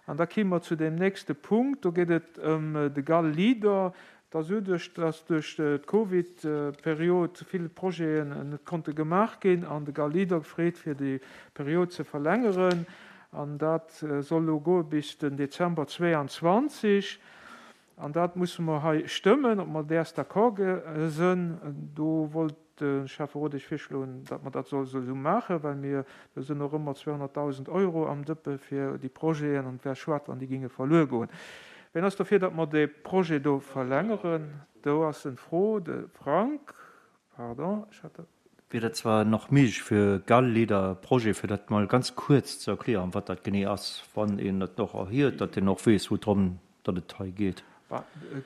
An da kime mer zu deem nächste Punkt. Do geet et ëm de Gal Leader. Et ass uduerch, dass duerch d'Covid-Period vill Projeten net konnte gemaach ginn an de Gal Leader freet, fir déi Period ze verlängeren. An dat soll elo goe bis den Dezember 22. An dat musse mer hei stëmmen, ob mer däers d'accord sënn. Do wollt de Schäfferot Iech virschloen, datt mer dat solle esou maachen, well mir, do sënn och ëmmer 200.000 Euro am Dëppe fir déi Projeten an et wär schued, wann déi géinge verluer goen. Wien ass dofir, datt mer dee Projet do verlängeren? Do ass en Fro, de Frank, pardon, ech hat dat. Wier dat zwar nach méiglech fir Gall-Leader Projet, fir dat mol ganz kuerz ze erklären, wat dat genee ass, wann een et och erhiert, datt een och weess, woudrëm datt et hei geet.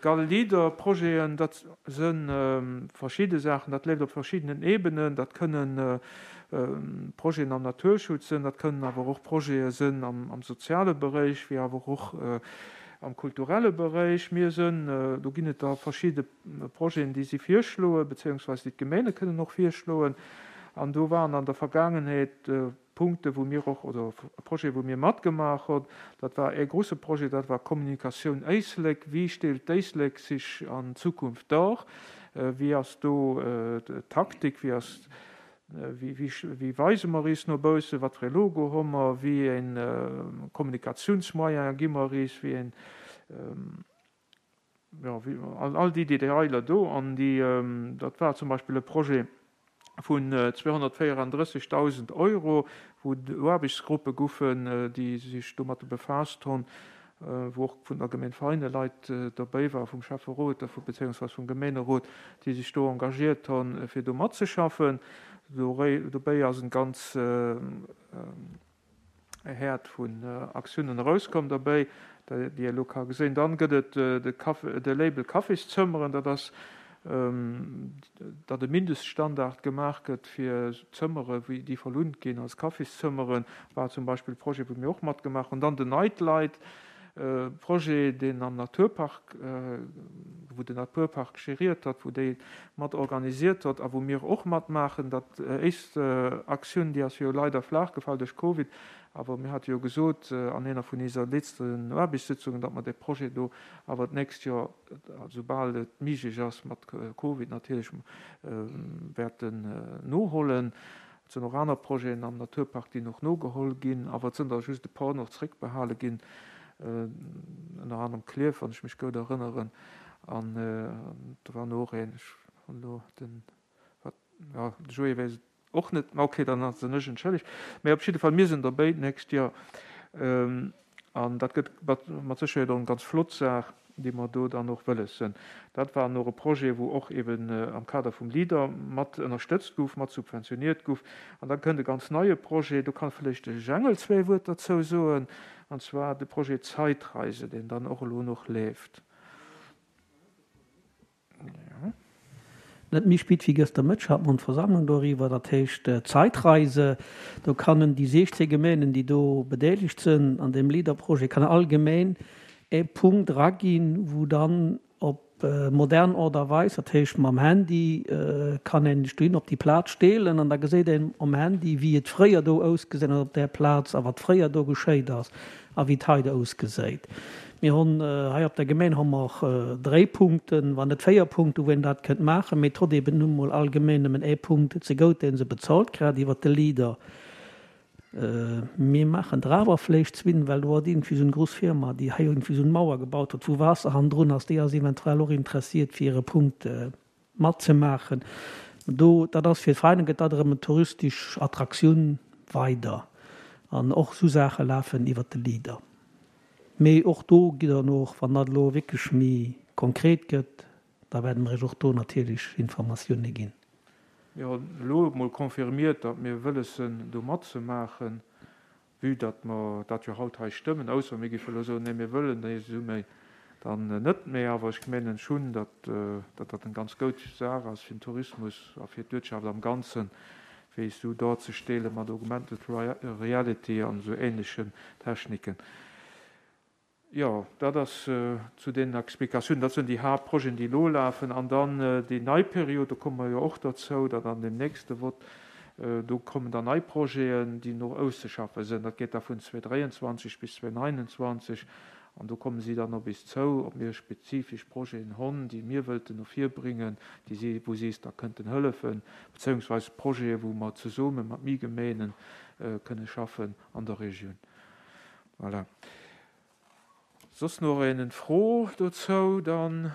Gall-Leader Projeten, dat si verschidde Saachen, dat leeft op verschiddenen Ebenen. Dat kënnen Projeten am Naturschutz sinn, dat kënnen awer och Projete sinn am soziale Beréich, wéi awer och am kulturelle Beréich. Mir sinn, do ginn et da verschidde Projeten, déi si virschloen, beziéungsweis déi d'Gemeene kënnen och virschloen. An do waren an der Vergaangenheet Punkte wou mir och, oder Projete wou mir matgemaach hunn. Dat war ee grouse Projet, dat war Kommunikatioun Éislek. Wéi stellt d'Éislek sech an Zukunft dar? Wéi ass do d'Taktik? Wéi ass, wéi weise mer is no baussen? Wat fir ee Logo hu mer? Wéi ee Kommunikatiounsmoyen gi mer is? Wéi een, jo, all déi Detailer do. An déi, dat war zum Beispill e Projet vun 234.000 Euro, wou Aarbechtsgruppe goufen, déi sech domat befaasst hunn, wou och vun der Gemeng Veinen Leit dobäi waren, vum Schäfferot a beziéungsweis vum Gemeenerot, déi sech do engagiert hunn, fir do matzeschaffen. Dobäi ass en ganz e Häert vun Aktiounen erauskomm derbäi, déi ee elo ka gesinn. Dann gëtt et de Label Kaffiszëmmeren, dat ass, datt e Mindeststandard gemaach gëtt fir Zëmmere wéi déi verlount ginn als Kaffiszëmmeren, war zum Beispill e Projet, wou mir och matgemaach hunn. Dann den Night Light Projet, deen am Naturpark, wou den Naturpark gériert huet, wou déi mat organisiert huet a wou mir och matmaachen. Dat éischt Aktioun, déi ass jo leider flaach gefall duerch Covid, awer mir hate jo gesot an enger vun iser letzten Aarbechtssitzungen, datt mer dee Projet do awer d'nächst Joer, soubal et méiglech ass mat Covid natierlech, wäerten nohollen. Et sinn och aner Projeten am Naturpark, déi nach nogeholl ginn, awer et sinn der just e paar nach zréckbehale ginn, ënner anerem Klierf, wann ech mech goud erënneren, an do war no och een, ech hunn elo den, wat, jo, de Joé weess et och net, ma okay, dann sinn ech entschëllegt. Mä op jidde Fall, mir sinn derbäi d'nächst Joer. An dat gëtt mat Sécherheet och eng ganz flott Saach, déi mer do dann och wëlles sënn. Dat war och e Projet, wou och eben am Kader vum Leader mat ënnerstëtzt gouf, mat subventioniert gouf. An da kënnt e ganz neie Projet, do kann vläicht de Jengel zwéi Wuert derzou soen, an zwar de Projet Zeitreise, deen dann och elo nach leeft. Net méi spit wéi gëster Mëtteg hat mer d'Versammlung doriwwer, dat heescht Zeitreise. Do kannen déi 16 Gemeenen, déi do bedeelegt sënn an deem Leader-Projet, kann all Gemeen ee Punkt eraginn, wou dann op modern Ort a Weis, dat heescht mam Handy, kann een sech dohin op déi Plaz steelen an da geséit een um Handy, wéi et fréier do ausgesinn huet op där Plaz a wat fréier do geschéit ass. A wéi et hei ausgeséit. Mir hunn hei op der Gemeng hu mer och dréi Punkten, wann net véier Punkten, wou een dat kënnt maachen. Mee et huet eben nun emol all Gemeng nëmmen ee Punkt zegout, dee se bezolt, grad iwwert de Leader. Mir maachen der awer vléicht zwinn, well do ass iergendwéi esou eng grouss Firma, déi hei iergendwéi esou eng Mauer gebaut huet, wou Waasser hannendrun ass. Déi ass eventuell och interessiert, fir e Punkt matzemaachen. Do, dat ass fir d'Vereiner gëtt dat erëm en touristesch Attraktioun weider. An och esou Saache lafen iwwert de Leader. Mee och do gitt Der och, wann dat elo wierklech méi konkret gëtt, da wäerte mer Iech och do natierlech Informatioune ginn. Mir hunn elo emol confirmiert, datt mir wëlles sinn, do matzemaachen. Vue datt mer dat jo haut hei stëmmen, ausser mir géife elo soen, nee mir wëllen déi Summe dann net méi. Awer ech menen schonn, datt dat eng ganz goud Saach ass fir den Tourismus a fir d'Uertschaft am Ganzen, fir eis esou dorzestellen mat Augmented Reality an esou ähnlechen Techniken. Jo, dat ass zu den Explikatiounen. Dat sinn déi Haaptprojeten, déi elo lafen. An dann déi nei Period, do komme mer jo och derzou, dat an deem nächste Vott. Do kommen dann nei Projeten, déi no auszeschaffe sënn. Dat geet da vun 2023 bis 2029. An do komme si dann op is zou, ob mir spezifesch Projeten honn, déi mir wëllten no vir bringen, déi si, wou si is da kënnten hëllefen, bezéiungsweis Projeten, wou mer zesumme mat mi Gemeenen kënne schaffen an der Regioun. Voilà. Soss nach een en Fro dozou? Dann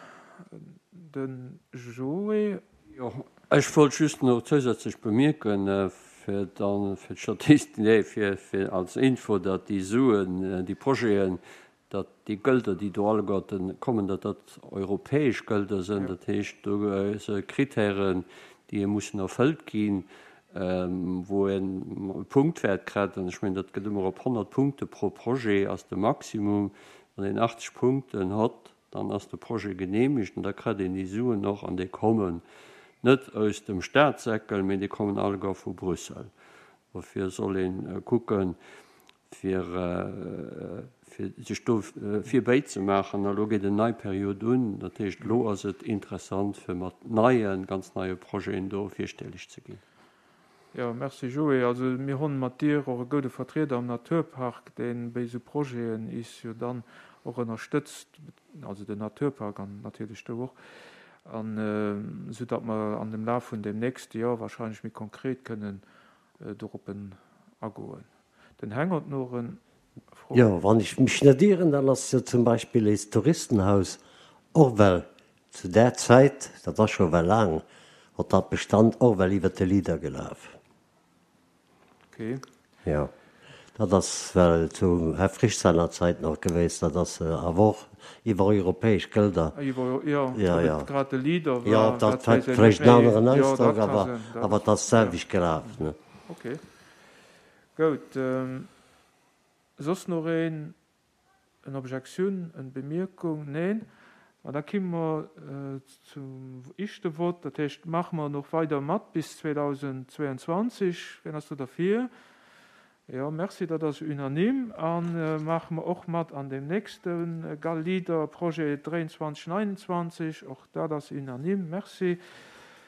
de Joé. Jo, ech wollt just nach zousätzlech bemierken, fir dann fir d'Statist, nee, fir, fir als Info, datt déi Suen, déi Projeten, datt déi Gelder, déi do alleguerten kommen, datt dat europäesch Gelder sënn. Dat heescht, do si Kritären, déi mussen erfëllt ginn, wou een e Punktwäert kritt. An ech mengen, dat gëtt ëmmer op 100 Punkte pro Projet ass de Maximum. Wann een 80 Punkten hott, dann ass de Projet genehmigt an da kritt een déi Suen och. An déi kommen net aus dem Staatssäckel, mee déi kommen alleguer vu Brüssel. Dofir soll ee kucken, fir sech do virbéi ze maachen. A lo geet en nei Period un. Dat heescht, elo ass et interessant, fir mat neien, ganz neie Projeten do virstelleg ze ginn. Jo, merci Joé. Also mir honn mat dir och e goude Vertrieder am Naturpark, deen béi sou Projeten is jo dann och ënnerstëtzt, also den Naturpark an natierlech du och, an sou datt mer an dem Laf vun dem nächste Joer wahrscheinlech méi konkret kënnen doroppen agoen. Den Heng hot noch en Fro. Jo, wann ech mech net ieren, dann ass jo zum Beispill éist Touristenhaus och well zu där Zäit, dat ass scho well laang, hot dat Bestand och well iwwert de Leader gelaf. Ok. Jo, dat ass well zu Här Frisch seiner Zäit nach gewéist, dat ass awer och iwwer europäesch Gelder. Iwwer, jo, Ja, ob ja. et grad de Leader Jo, war, dat dat weess hat een net vläicht en méi. aneren Jo, Ausdrock, dat ka awer, sënn, dat, awer et ass ja. d'selwecht gelaf, ne? Ok. Goud. Soss noch een? En Objektioun, en Bemierkung? Neen? Ma da kimme mer zum ischte Vott. Dat heescht, maache mer noch weider mat bis 2022. Wien ass do derfir? Jo, merci, dat ass unanime. A maache mer och mat an deem nächste GAL-Leader-Projet 23, 29. Och dat ass unanime. Merci.